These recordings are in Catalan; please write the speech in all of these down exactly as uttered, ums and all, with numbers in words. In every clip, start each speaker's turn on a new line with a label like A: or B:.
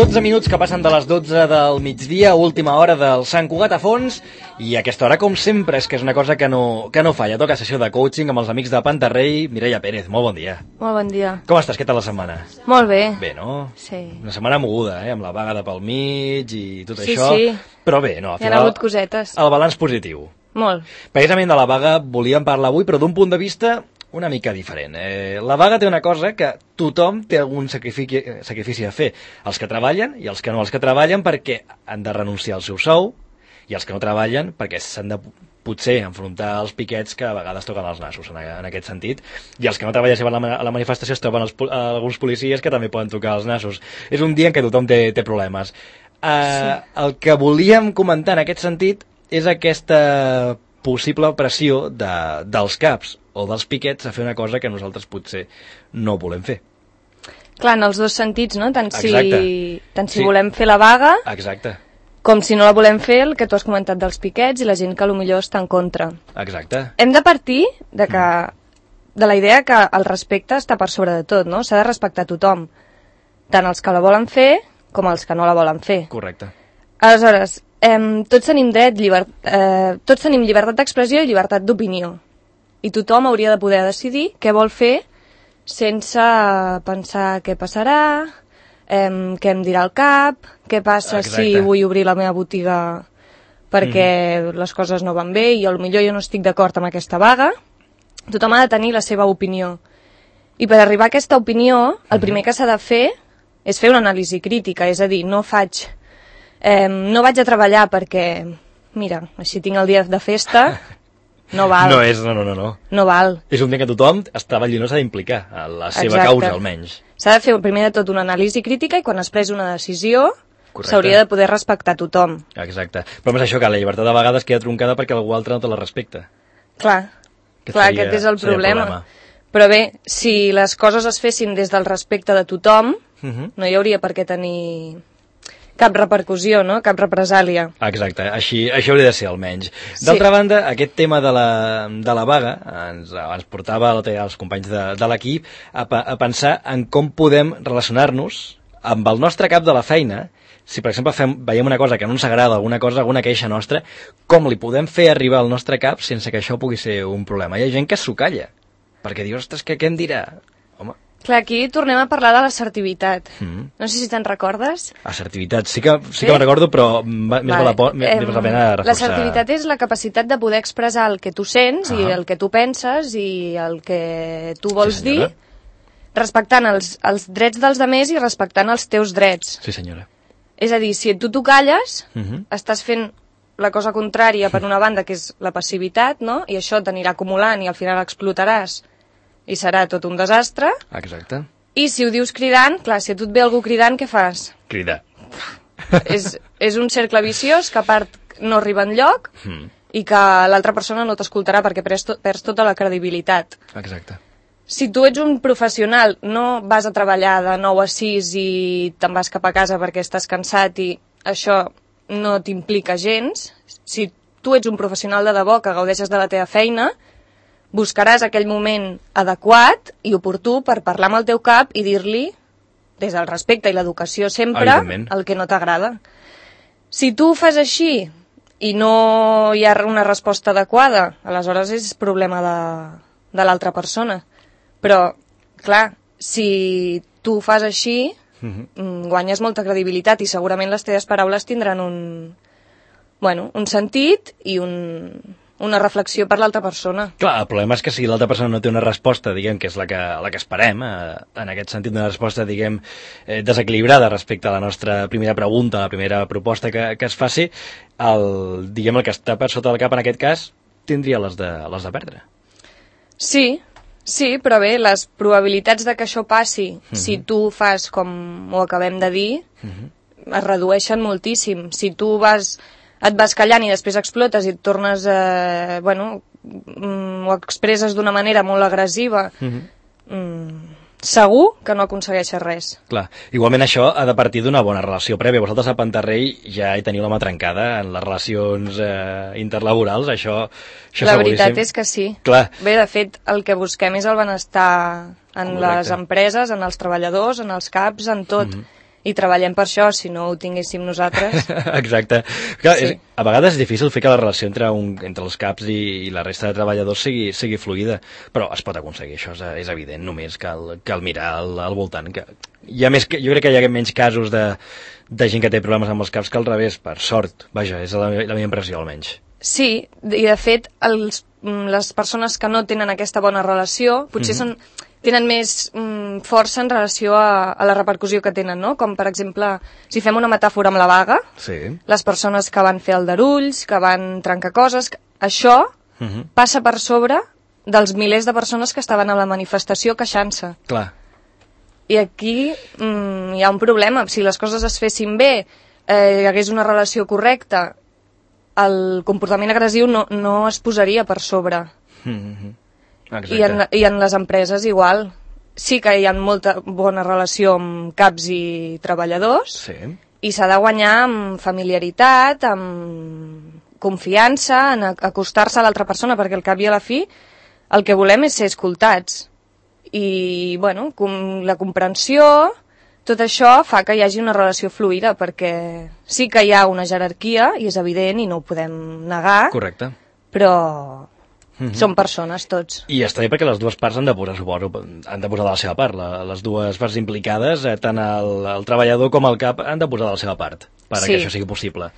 A: dotze minuts que passen de les dotze del migdia, última hora del Sant Cugat a fons, i aquesta hora, com sempre, és que és una cosa que no, que no falla. Toca sessió de coaching amb els amics de Pantarrei. Mireia Pérez, molt bon dia.
B: Molt bon dia.
A: Com estàs? Què tal la setmana?
B: Molt bé.
A: Bé, no?
B: Sí.
A: Una setmana moguda, eh? Amb la vaga de pel mig i tot
B: sí,
A: això.
B: Sí, sí.
A: Però bé, no, al
B: final... Hi ha hagut cosetes.
A: El balanç positiu.
B: Molt.
A: Precisament de la vaga volíem parlar avui, però d'un punt de vista una mica diferent. Eh, la vaga té una cosa que tothom té algun sacrifici, sacrifici a fer. Els que treballen i els que no. Els que treballen perquè han de renunciar al seu sou i els que no treballen perquè s'han de potser enfrontar als piquets que a vegades toquen els nassos en, en aquest sentit. I els que no treballen si van a la manifestació es troben els, alguns policies que també poden tocar els nassos. És un dia en què tothom té, té problemes. Eh, sí. El que volíem comentar en aquest sentit és aquesta possible pressió de, dels caps o dels piquets a fer una cosa que nosaltres potser no volem fer.
B: Clar, en els dos sentits, no? Tant si, tant si
A: sí.
B: volem fer la vaga,
A: exacte,
B: com si no la volem fer, el que tu has comentat dels piquets i la gent que potser està en contra.
A: Exacte.
B: Hem de partir de, que, de la idea que el respecte està per sobre de tot, no? S'ha de respectar tothom, tant els que la volen fer com els que no la volen fer.
A: Correcte.
B: Aleshores, eh, tots tenim dret, lliber, eh, tots tenim llibertat d'expressió i llibertat d'opinió. I tothom hauria de poder decidir què vol fer sense pensar què passarà, eh, què em dirà el cap, què passa Exacte. Si vull obrir la meva botiga perquè mm. les coses no van bé i potser jo no estic d'acord amb aquesta vaga. Tothom ha de tenir la seva opinió. I per arribar a aquesta opinió, el primer que s'ha de fer és fer una anàlisi crítica, és a dir, no faig, eh, no vaig a treballar perquè, mira, així tinc el dia de festa... No val.
A: No és, no, no, no, no.
B: No val.
A: És un dia que tothom està no s'ha d'implicar a la seva
B: Exacte.
A: Causa, almenys.
B: S'ha de fer primer de tot una anàlisi crítica i quan es pres una decisió s'hauria de poder respectar tothom.
A: Exacte. Però és això, que la llibertat de vegades queda troncada perquè algú altre no te la respecta.
B: Clar,
A: que
B: clar,
A: seria,
B: aquest és el problema.
A: problema.
B: Però bé, si les coses es fessin des del respecte de tothom, uh -huh. no hi hauria per què tenir... cap repercussió, no? Cap represàlia.
A: Exacte, així, això hauria de ser almenys. D'altra sí. banda, aquest tema de la, de la vaga ens, ens portava els companys de, de l'equip a, a pensar en com podem relacionar-nos amb el nostre cap de la feina. Si, per exemple, fem, veiem una cosa que no ens agrada, alguna cosa, alguna queixa nostra, com li podem fer arribar al nostre cap sense que això pugui ser un problema? Hi ha gent que s'ho calla, perquè diu, ostres, que què em dirà? Home...
B: Clar, aquí tornem a parlar de l'assertivitat.
A: Mm.
B: No sé si te'n recordes.
A: Assertivitat, sí que, sí que me'n recordo, però més vale. val la, po- més eh, la pena reforçar.
B: L'assertivitat és la capacitat de poder expressar el que tu sents ah. i el que tu penses i el que tu vols sí, dir, respectant els, els drets dels altres i respectant els teus drets.
A: Sí, senyora.
B: És a dir, si tu t'ho calles, uh
A: -huh.
B: estàs fent la cosa contrària per una banda, que és la passivitat, no? I això t'anirà acumulant i al final explotaràs i serà tot un desastre.
A: Exacte.
B: I si ho dius cridant, clar, si a tu et ve algú cridant, què fas?
A: Cridar.
B: és, és un cercle viciós que a part no arriba enlloc
A: mm.
B: i que l'altra persona no t'escoltarà perquè perds, to, perds tota la credibilitat.
A: Exacte.
B: Si tu ets un professional, no vas a treballar de nou a sis i te'n vas cap a casa perquè estàs cansat i això no t'implica gens, si tu ets un professional de debò que gaudeixes de la teva feina, buscaràs aquell moment adequat i oportú per parlar amb el teu cap i dir-li, des del respecte i l'educació sempre, el que no t'agrada. Si tu ho fas així i no hi ha una resposta adequada, aleshores és problema de, de l'altra persona. Però, clar, si tu ho fas així, uh-huh. guanyes molta credibilitat i segurament les teves paraules tindran un, bueno, un sentit i un... una reflexió per l'altra persona.
A: Clar, el problema és que si l'altra persona no té una resposta, diguem, que és la que, la que esperem, eh, en aquest sentit, una resposta, diguem, eh, desequilibrada respecte a la nostra primera pregunta, la primera proposta que, que es faci, el, diguem, el que està per sota del cap en aquest cas, tindria les de, les de perdre.
B: Sí, sí, però bé, les probabilitats de que això passi, uh-huh. si tu fas com ho acabem de dir, uh-huh. es redueixen moltíssim. Si tu vas... et vas callant i després explotes i et tornes, eh, bueno, mm, ho expresses d'una manera molt agressiva, uh-huh. mm, segur que no aconsegueixes res.
A: Clar, igualment això ha de partir d'una bona relació prèvia. Vosaltres a Pantarrei ja hi teniu la mà trencada en les relacions eh, interlaborals, això, això
B: la veritat és que sí.
A: Clar.
B: Bé, de fet, el que busquem és el benestar en Correcte. Les empreses, en els treballadors, en els caps, en tot. Uh-huh. i treballem per això, si no ho tinguéssim nosaltres.
A: Exacte. Clar,
B: Sí.
A: és, a vegades és difícil fer que la relació entre, un, entre els caps i, i la resta de treballadors sigui, sigui fluida, però es pot aconseguir, això és, és evident, només cal, cal mirar al, al voltant. Que hi ha més, jo crec que hi ha menys casos de, de gent que té problemes amb els caps que al revés, per sort. Vaja, és la, la meva impressió, almenys.
B: Sí, i de fet, els, les persones que no tenen aquesta bona relació, potser mm-hmm. són... tenen més mm, força en relació a, a la repercussió que tenen, no? Com, per exemple, si fem una metàfora amb la vaga,
A: sí.
B: les persones que van fer aldarulls, que van trencar coses, això uh-huh. passa per sobre dels milers de persones que estaven a la manifestació queixant-se.
A: Clar.
B: I aquí mm, hi ha un problema. Si les coses es fessin bé, eh, hi hagués una relació correcta, el comportament agressiu no, no es posaria per sobre.
A: Mm-hmm.
B: I en, I en les empreses igual. Sí que hi ha molta bona relació amb caps i treballadors
A: sí.
B: i s'ha de guanyar amb familiaritat, amb confiança, en acostar-se a l'altra persona, perquè al cap i a la fi el que volem és ser escoltats. I, bueno, com la comprensió, tot això fa que hi hagi una relació fluida, perquè sí que hi ha una jerarquia, i és evident, i no ho podem negar.
A: Correcte.
B: Però...
A: Mm-hmm.
B: Són persones, tots.
A: I està bé perquè les dues parts han de posar, suposo, han de posar de la seva part. La, les dues parts implicades, eh, tant el, el treballador com el cap, han de posar de la seva part per sí. que això sigui possible.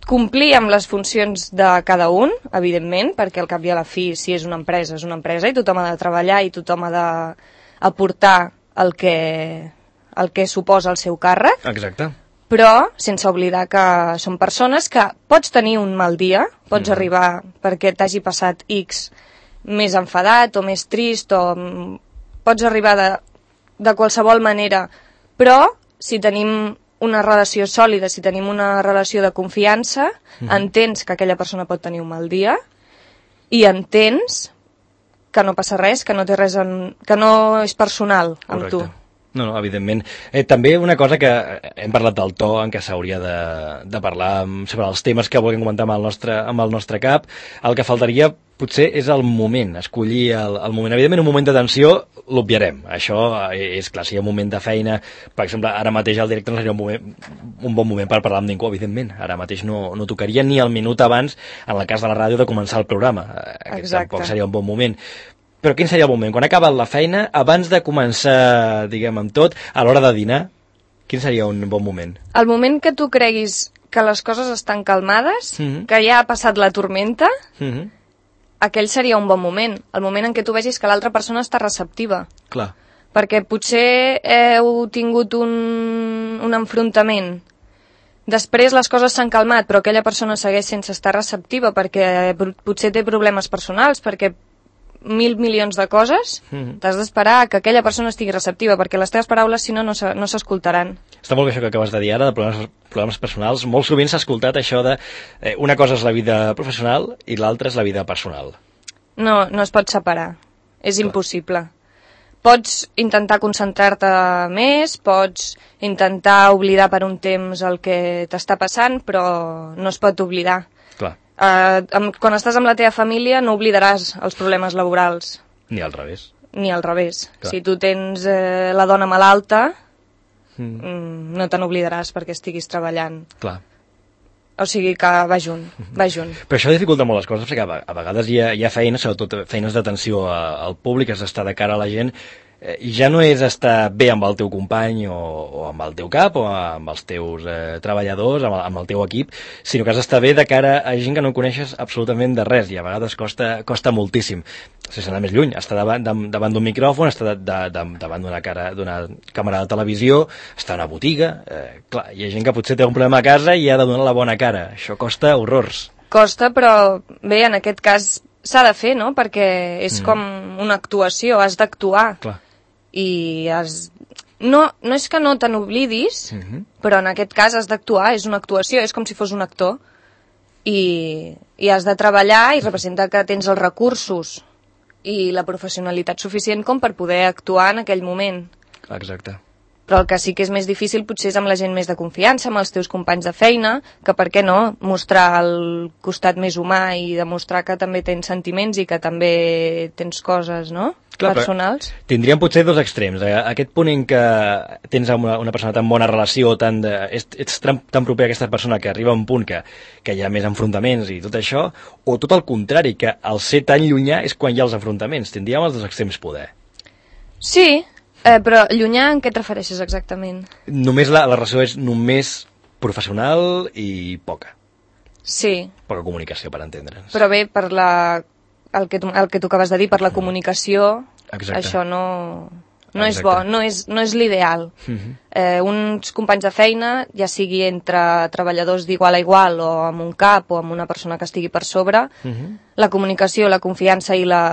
B: Complir amb les funcions de cada un, evidentment, perquè al cap i a la fi, si és una empresa, és una empresa, i tothom ha de treballar i tothom ha d'aportar el que, el que suposa el seu càrrec.
A: Exacte.
B: Però sense oblidar que són persones que pots tenir un mal dia, pots mm. arribar perquè t'hagi passat X més enfadat o més trist, o pots arribar de, de qualsevol manera, però si tenim una relació sòlida, si tenim una relació de confiança, mm. entens que aquella persona pot tenir un mal dia i entens que no passa res, que no té res en, que no és personal amb
A: Correcte.
B: tu.
A: No, no, evidentment. Eh, també una cosa que hem parlat del to en què s'hauria de, de parlar sobre els temes que vulguem comentar amb el nostre, amb el nostre cap. El que faltaria potser és el moment, escollir el, el moment. Evidentment, un moment de tensió l'obviarem. Això és clar, si hi ha un moment de feina, per exemple, ara mateix al directe no seria un, moment, un bon moment per parlar amb ningú, evidentment. Ara mateix no, no tocaria ni el minut abans, en el cas de la ràdio, de començar el programa. Aquest
B: Exacte.
A: tampoc seria un bon moment. Però quin seria el moment? Quan ha acabat la feina, abans de començar, diguem, amb tot, a l'hora de dinar, quin seria un bon moment?
B: El moment que tu creguis que les coses estan calmades, mm-hmm. que ja ha passat la tormenta, mm-hmm. aquell seria un bon moment. El moment en què tu vegis que l'altra persona està receptiva.
A: Clar.
B: Perquè potser heu tingut un, un enfrontament. Després les coses s'han calmat, però aquella persona segueix sense estar receptiva perquè potser té problemes personals, perquè mil milions de coses, mm-hmm. t'has d'esperar que aquella persona estigui receptiva, perquè les teves paraules, si no, no s'escoltaran.
A: Està molt bé això que acabes de dir ara, de problemes, problemes personals. Molt sovint s'ha escoltat això de eh, una cosa és la vida professional i l'altra és la vida personal.
B: No, no es pot separar. És
A: Clar.
B: Impossible. Pots intentar concentrar-te més, pots intentar oblidar per un temps el que t'està passant, però no es pot oblidar.
A: Clar.
B: Uh, amb, quan estàs amb la teva família no oblidaràs els problemes laborals.
A: Ni al revés.
B: Ni al revés.
A: Clar.
B: Si tu tens eh, la dona malalta, mm. Mm, no te n'oblidaràs perquè estiguis treballant.
A: Clar.
B: O sigui que va junt, va junt.
A: Però això dificulta molt les coses, perquè a vegades hi ha, hi ha feines, sobretot feines d'atenció al públic, has d'estar de cara a la gent, i ja no és estar bé amb el teu company o, o amb el teu cap o amb els teus eh, treballadors, amb el, amb el teu equip, sinó que has d'estar bé de cara a gent que no coneixes absolutament de res i a vegades costa, costa moltíssim. Sense anar més lluny, estar davant, davant d'un micròfon, estar de, de, de, davant d'una cara, d'una càmera de televisió, estar a una botiga... Eh, clar, hi ha gent que potser té un problema a casa i ha de donar la bona cara. Això costa horrors.
B: Costa, però bé, en aquest cas s'ha de fer, no? Perquè és mm. com una actuació, has d'actuar.
A: Clar.
B: I has... no, no és que no te n'oblidis, uh-huh. però en aquest cas has d'actuar, és una actuació, és com si fos un actor, i, i has de treballar i representa que tens els recursos i la professionalitat suficient com per poder actuar en aquell moment.
A: Exacte.
B: Però el que sí que és més difícil potser és amb la gent més de confiança, amb els teus companys de feina, que per què no mostrar el costat més humà i demostrar que també tens sentiments i que també tens coses, no? Clar, personals.
A: Tindríem potser dos extrems. Aquest punt en què tens una, una persona tan bona relació, tan de, ets, ets tan, tan proper a aquesta persona que arriba a un punt que, que hi ha més enfrontaments i tot això, o tot el contrari, que al ser tan llunyà és quan hi ha els enfrontaments. Tindríem els dos extrems poder.
B: Sí, Eh, però llunyà en què et refereixes exactament?
A: Només la, la relació és només professional i poca.
B: Sí.
A: Poca comunicació, per entendre'ns.
B: Però bé, per la, el, que tu, el que tu acabes de dir, per la comunicació,
A: exacte.
B: Això no, no és bo, no és, no és l'ideal. Uh-huh. eh, uns companys de feina, ja sigui entre treballadors d'igual a igual o amb un cap o amb una persona que estigui per sobre, uh-huh. La comunicació, la confiança i la...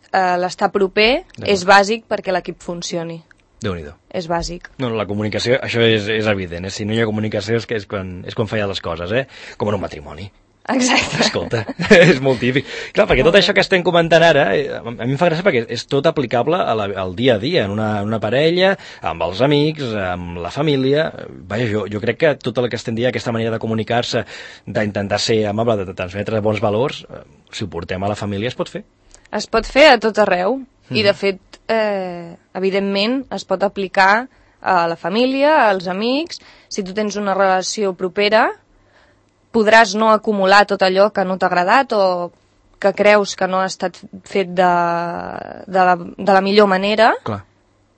B: Uh, l'estar proper és bàsic perquè l'equip funcioni.
A: Déu-n'hi-do.
B: És bàsic.
A: No, la comunicació, això és, és evident, eh? Si no hi ha comunicació és, que és, quan, és quan fallen les coses, eh? Com en un matrimoni.
B: Exacte.
A: Escolta, és molt típic. Clar, perquè tot això que estem comentant ara, a mi em fa gràcia perquè és tot aplicable a la, al dia a dia, en una, en una parella, amb els amics, amb la família. Vaja, jo, jo crec que tot el que estem dient, aquesta manera de comunicar-se, d'intentar ser amable, de transmetre bons valors, si ho portem a la família es pot fer.
B: Es pot fer a tot arreu mm. i de fet, eh, evidentment, es pot aplicar a la família, als amics. Si tu tens una relació propera, podràs no acumular tot allò que no t'ha agradat o que creus que no ha estat fet de, de, la, de la millor manera.
A: Clar.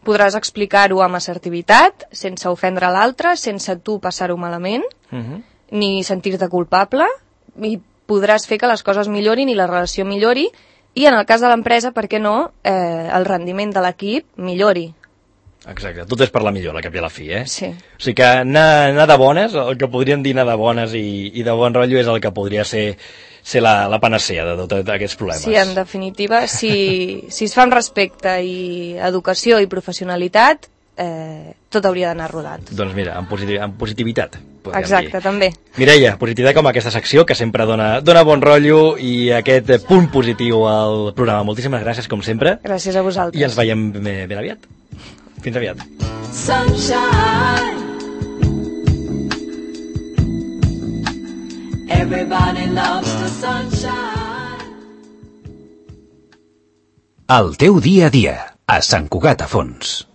B: Podràs explicar-ho amb assertivitat, sense ofendre l'altre, sense tu passar-ho malament, mm-hmm. ni sentir-te culpable, i podràs fer que les coses millorin i la relació millori. I en el cas de l'empresa, per què no, eh, el rendiment de l'equip millori.
A: Exacte, tot és per la millor, la cap i a la fi, eh?
B: Sí.
A: O sigui que anar, anar de bones, el que podríem dir anar de bones i, i de bon rotllo és el que podria ser, ser la, la panacea de tots aquests problemes.
B: Sí, en definitiva, si, si es fa amb respecte i educació i professionalitat, eh, tot hauria d'anar rodat.
A: Doncs mira, amb, positiv, amb positivitat.
B: Exacte,
A: dir.
B: també.
A: Mireia, positivitat com aquesta secció que sempre dona, dona bon rotllo i aquest punt positiu al programa. Moltíssimes gràcies, com sempre.
B: Gràcies a vosaltres.
A: I ens veiem ben, ben aviat. Fins aviat.
C: Sunshine. Everybody loves the sunshine.
D: El teu dia a dia, a Sant Cugat a Fons.